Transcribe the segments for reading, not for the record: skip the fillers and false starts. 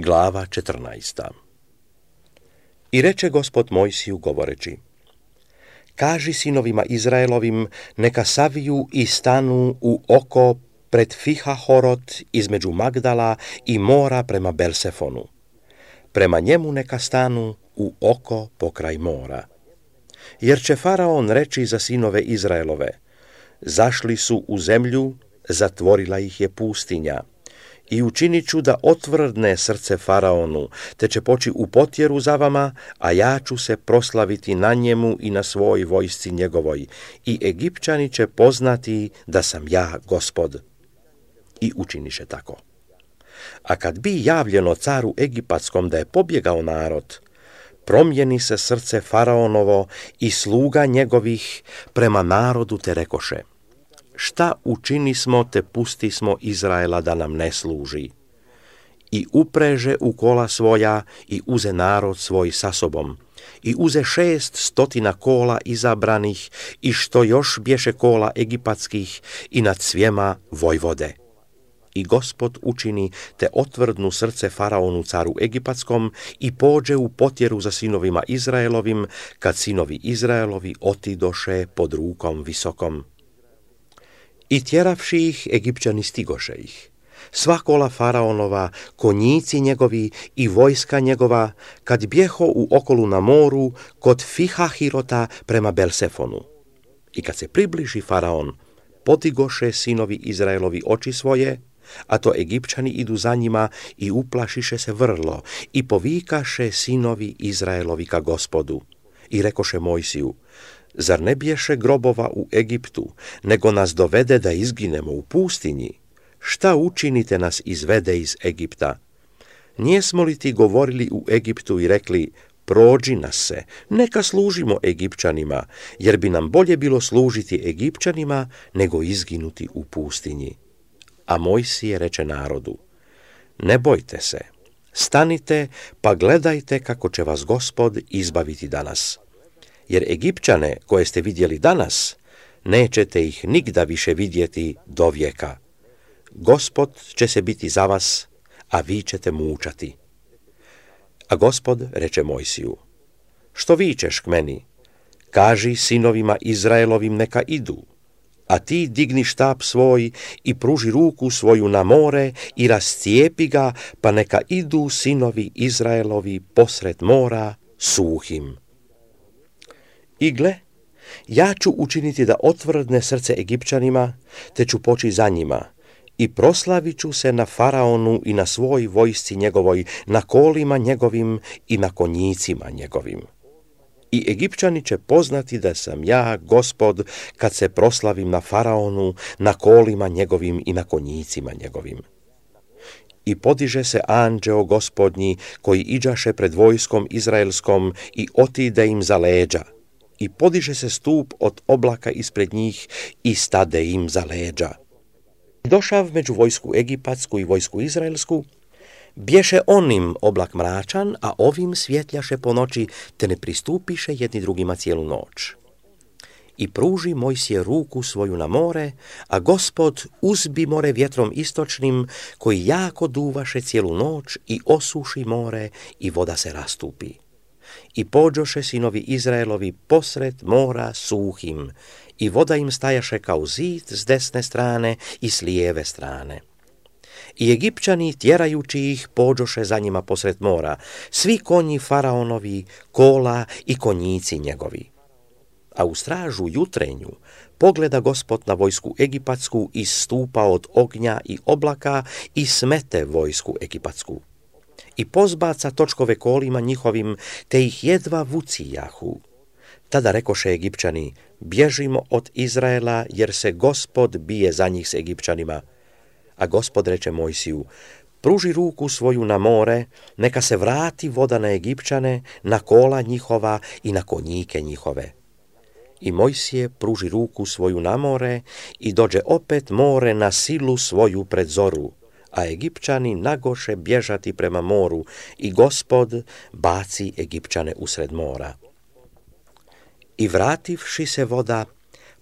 Glava 14. I reče Gospod Mojsiju govoreći: Kaži sinovima Izraelovim, neka saviju i stanu u oko pred Fihahorot između Magdala i mora prema Belsefonu. Prema njemu neka stanu u oko pokraj mora. Jer će Faraon reći za sinove Izraelove: zašli su u zemlju, zatvorila ih je pustinja. I učinit ću da otvrdne srce Faraonu, te će poći u potjeru za vama, a ja ću se proslaviti na njemu i na svoj vojsci njegovoj. I Egipćani će poznati da sam ja Gospod. I učiniše tako. A kad bi javljeno caru Egipatskom da je pobjegao narod, promijeni se srce Faraonovo i sluga njegovih prema narodu, te rekoše: šta učinismo te pustismo Izraela da nam ne služi? I upreže u kola svoja i uze narod svoj sa sobom. I uze 600 kola izabranih i što još bješe kola egipatskih i nad svijema vojvode. I Gospod učini te otvrdnu srce Faraonu caru Egipatskom i pođe u potjeru za sinovima Izraelovim, kad sinovi Izraelovi otidoše pod rukom visokom. I tjeravši ih, Egipćani stigoše ih. Sva kola Faraonova, konjici njegovi i vojska njegova, kad bjeho u okolu na moru, kod Fihahirota prema Belsefonu. I kad se približi Faraon, podigoše sinovi Izraelovi oči svoje, a to Egipćani idu za njima i uplašiše se vrlo, i povikaše sinovi Izraelovi ka Gospodu. I rekoše Mojsiju: zar ne bješe grobova u Egiptu, nego nas dovede da izginemo u pustinji? Šta učinite nas izvede iz Egipta? Nijesmo li ti govorili u Egiptu i rekli: prođi nas se, neka služimo Egipćanima, jer bi nam bolje bilo služiti Egipćanima nego izginuti u pustinji. A Mojsije reče narodu: ne bojte se, stanite pa gledajte kako će vas Gospod izbaviti danas. Jer Egipćane koje ste vidjeli danas, nećete ih nigda više vidjeti do vijeka. Gospod će se biti za vas, a vi ćete mučati. A Gospod reče Mojsiju: što vičeš k meni? Kaži sinovima Izraelovim neka idu, a ti digni štap svoj i pruži ruku svoju na more i rascijepi ga, pa neka idu sinovi Izraelovi posred mora suhim. I gle, ja ću učiniti da otvrdne srce Egipćanima, te ću poći za njima, i proslavit ću se na Faraonu i na svoj vojsci njegovoj, na kolima njegovim i na konjicima njegovim. I Egipćani će poznati da sam ja Gospod, kad se proslavim na Faraonu, na kolima njegovim i na konjicima njegovim. I podiže se anđeo Gospodnji, koji iđaše pred vojskom izraelskom i otide im za leđa. I podiže se stup od oblaka ispred njih i stade im za leđa. Došav među vojsku egipatsku i vojsku izraelsku, bješe onim oblak mračan, a ovim svjetljaše po noći, te ne pristupiše jedni drugima cijelu noć. I pruži Mojsije ruku svoju na more, a Gospod uzbi more vjetrom istočnim, koji jako duvaše cijelu noć i osuši more i voda se rastupi. I pođoše sinovi Izraelovi posred mora suhim, i voda im stajaše kao zid s desne strane i s lijeve strane. I Egipćani, tjerajući ih, pođoše za njima posred mora, svi konji Faraonovi, kola i konjici njegovi. A u stražu jutrenju pogleda Gospod na vojsku egipatsku iz stupa od ognja i oblaka i smete vojsku egipatsku. I pozbaca točkove kolima njihovim, te ih jedva vucijahu. Tada rekoše Egipćani: bježimo od Izraela, jer se Gospod bije za njih s Egipćanima. A Gospod reče Mojsiju: pruži ruku svoju na more, neka se vrati voda na Egipćane, na kola njihova i na konjike njihove. I Mojsije pruži ruku svoju na more i dođe opet more na silu svoju pred zoru, a Egipćani nagoše bježati prema moru i Gospod baci Egipćane usred mora. I vrativši se voda,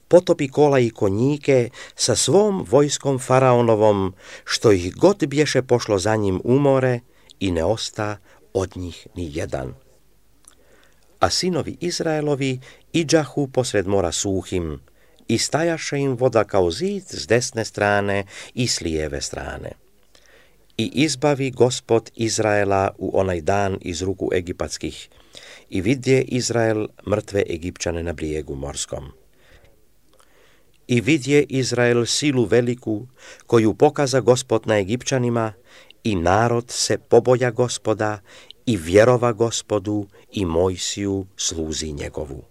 potopi kola i konjike sa svom vojskom Faraonovom, što ih god bješe pošlo za njim u more, i ne osta od njih ni jedan. A sinovi Izraelovi iđahu posred mora suhim, i stajaše im voda kao zid s desne strane i s lijeve strane. I izbavi Gospod Izraela u onaj dan iz ruku egipatskih, i vidje Izrael mrtve Egipćane na brijegu morskom. I vidje Izrael silu veliku, koju pokaza Gospod na Egipćanima, i narod se poboja Gospoda, i vjerova Gospodu i Mojsiju sluzi njegovu.